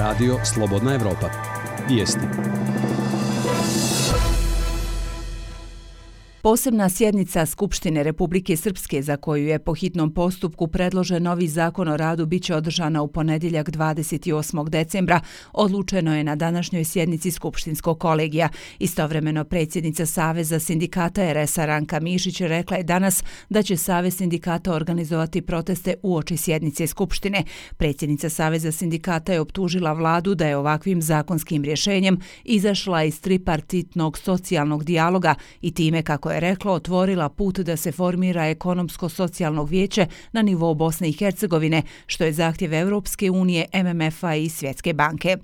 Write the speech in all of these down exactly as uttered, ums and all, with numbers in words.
Radio Slobodna Evropa. Vijesti. Posebna sjednica Skupštine Republike Srpske, za koju je po hitnom postupku predložen novi zakon o radu, biće održana u ponedjeljak dvadeset osmog decembra, odlučeno je na današnjoj sjednici Skupštinskog kolegija. Istovremeno predsjednica Saveza sindikata er es a Ranka Mišić rekla je danas da će Savez sindikata organizovati proteste uoči sjednice Skupštine. Predsjednica Saveza sindikata je optužila vladu da je ovakvim zakonskim rješenjem izašla iz tripartitnog socijalnog dijaloga i time, kako je rekla, otvorila put da se formira ekonomsko-socijalnog vijeće na nivou Bosne i Hercegovine, što je zahtjev Europske unije, em em ef a i Svjetske banke.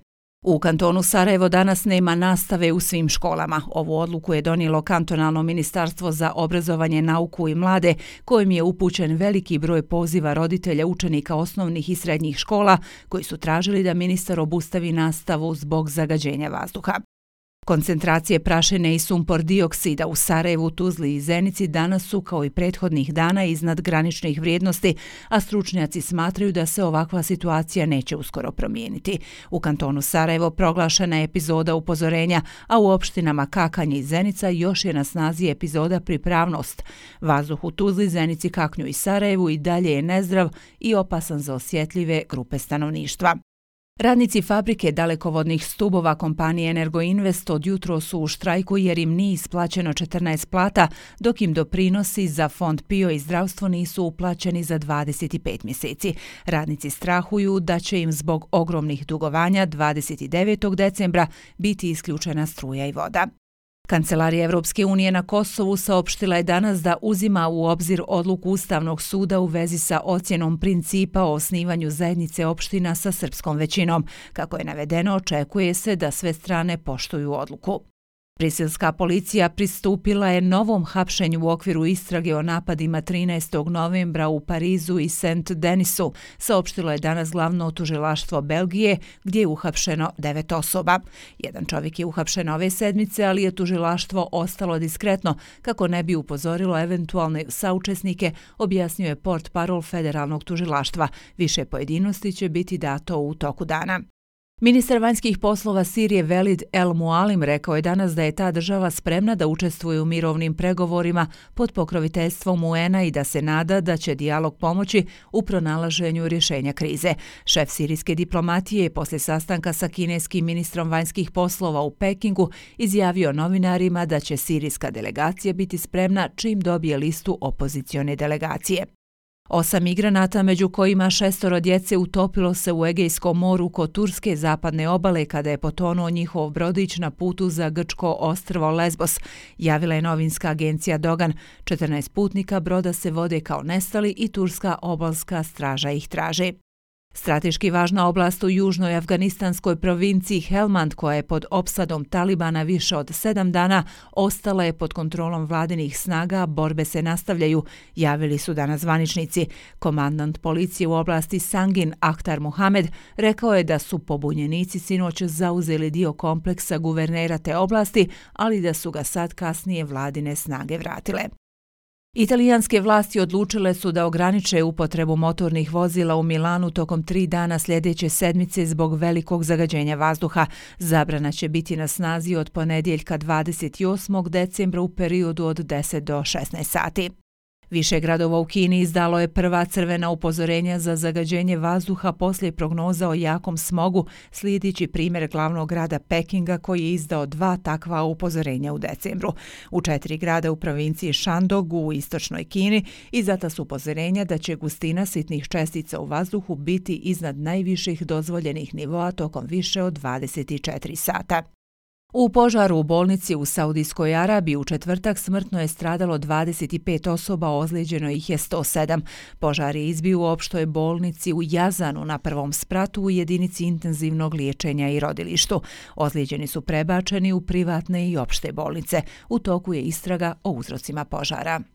U kantonu Sarajevo danas nema nastave u svim školama. Ovu odluku je donijelo kantonalno ministarstvo za obrazovanje, nauku i mlade, kojim je upućen veliki broj poziva roditelja učenika osnovnih i srednjih škola koji su tražili da ministar obustavi nastavu zbog zagađenja vazduha. Koncentracije prašine i sumpor dioksida u Sarajevu, Tuzli i Zenici danas su, kao i prethodnih dana, iznad graničnih vrijednosti, a stručnjaci smatraju da se ovakva situacija neće uskoro promijeniti. U kantonu Sarajevo proglašena je epizoda upozorenja, a u opštinama Kakanje i Zenica još je na snazi epizoda pripravnost. Vazduh u Tuzli, Zenici, Kaknju i Sarajevu i dalje je nezdrav i opasan za osjetljive grupe stanovništva. Radnici fabrike dalekovodnih stubova kompanije Energoinvest od jutro su u štrajku jer im nije isplaćeno četrnaest plata, dok im doprinosi za fond P I O i zdravstvo nisu uplaćeni za dvadeset pet mjeseci. Radnici strahuju da će im zbog ogromnih dugovanja dvadeset devetog decembra biti isključena struja i voda. Kancelarija Evropske unije na Kosovu saopštila je danas da uzima u obzir odluku Ustavnog suda u vezi sa ocjenom principa o osnivanju zajednice opština sa srpskom većinom. Kako je navedeno, očekuje se da sve strane poštuju odluku. Briselska policija pristupila je novom hapšenju u okviru istrage o napadima trinaestog novembra u Parizu i Saint-Denisu, saopštilo je danas glavno tužilaštvo Belgije, gdje je uhapšeno devet osoba. Jedan čovjek je uhapšen ove sedmice, ali je tužilaštvo ostalo diskretno kako ne bi upozorilo eventualne saučesnike, objasnio je portparol federalnog tužilaštva. Više pojedinosti će biti dato u toku dana. Ministar vanjskih poslova Sirije Velid El Mualim rekao je danas da je ta država spremna da učestvuje u mirovnim pregovorima pod pokroviteljstvom U N a i da se nada da će dijalog pomoći u pronalaženju rješenja krize. Šef sirijske diplomatije je poslije sastanka sa kineskim ministrom vanjskih poslova u Pekingu izjavio novinarima da će sirijska delegacija biti spremna čim dobije listu opozicione delegacije. Osam migranata, među kojima šestoro djece, utopilo se u Egejskom moru kod turske zapadne obale kada je potonuo njihov brodić na putu za grčko ostrvo Lesbos, javila je novinska agencija Dogan. četrnaest putnika broda se vode kao nestali i turska obalska straža ih traži. Strateški važna oblast u južnoj afganistanskoj provinciji Helmand, koja je pod opsadom Talibana više od sedam dana, ostala je pod kontrolom vladinih snaga, borbe se nastavljaju, javili su danas zvaničnici. Komandant policije u oblasti Sangin, Akhtar Muhamed, rekao je da su pobunjenici sinoć zauzeli dio kompleksa guvernera te oblasti, ali da su ga sad kasnije vladine snage vratile. Italijanske vlasti odlučile su da ograniče upotrebu motornih vozila u Milanu tokom tri dana sljedeće sedmice zbog velikog zagađenja vazduha. Zabrana će biti na snazi od ponedjeljka dvadeset osmog decembra u periodu od deset do šesnaest sati. Više gradova u Kini izdalo je prva crvena upozorenja za zagađenje vazduha poslije prognoza o jakom smogu, slijedeći primjer glavnog grada Pekinga koji je izdao dva takva upozorenja u decembru. U četiri grada u provinciji Shandong u istočnoj Kini izdata su upozorenja da će gustina sitnih čestica u vazduhu biti iznad najviših dozvoljenih nivoa tokom više od dvadeset četiri sata. U požaru u bolnici u Saudijskoj Arabiji u četvrtak smrtno je stradalo dvadeset pet osoba, ozlijeđeno ih je sto sedam. Požar je izbio u opštoj bolnici u Jazanu na prvom spratu u jedinici intenzivnog liječenja i rodilištu. Ozlijeđeni su prebačeni u privatne i opšte bolnice. U toku je istraga o uzrocima požara.